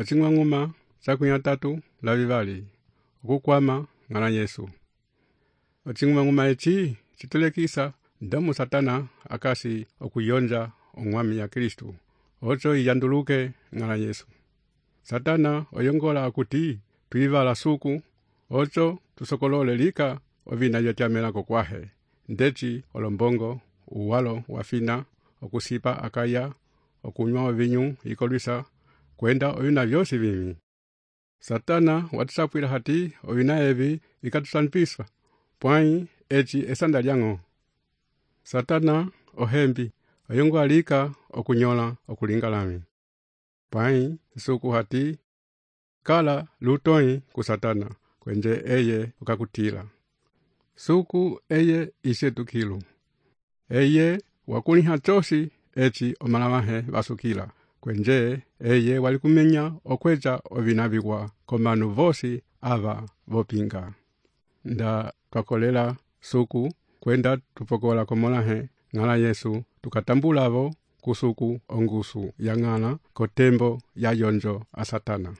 Ocing'wang'uma cakunyatatu la vivali okukwama ng'ala Yesu. Ocing'wang'uma eci citulekisa ndomu Satana akasi okuyonja ong'wami ya Kristu oco iyanduluke ng'ala Yesu. Satana oyongola akuti twivala suku oco tusokolole lika ovina vyotyamela kokwahe ndeci olombongo uwalo wafina okusipa akaya okunywa ovinyu ikolwisa kwenda ovina vyosi vimi. Satana watusapwila hati ovina evi vikatusanpiswa pwai eci esanda lyang'o. Satana ohembi oyongola lika okunyola okulingalami pwai suku hati kala lutoi ku Satana kwenje eye ukakutila suku eye isetukilu eye wakuliha chosi eci omalamahe vasukila kwenje eye walikumenya okwecha ovina viwa komanu vosi ava vopinga. Nda twakolela suku kwenda tupokola komolahe ng'ala Yesu tukatambulavo kusuku ongusu ya ng'ala kotembo ya yonjo a Satana.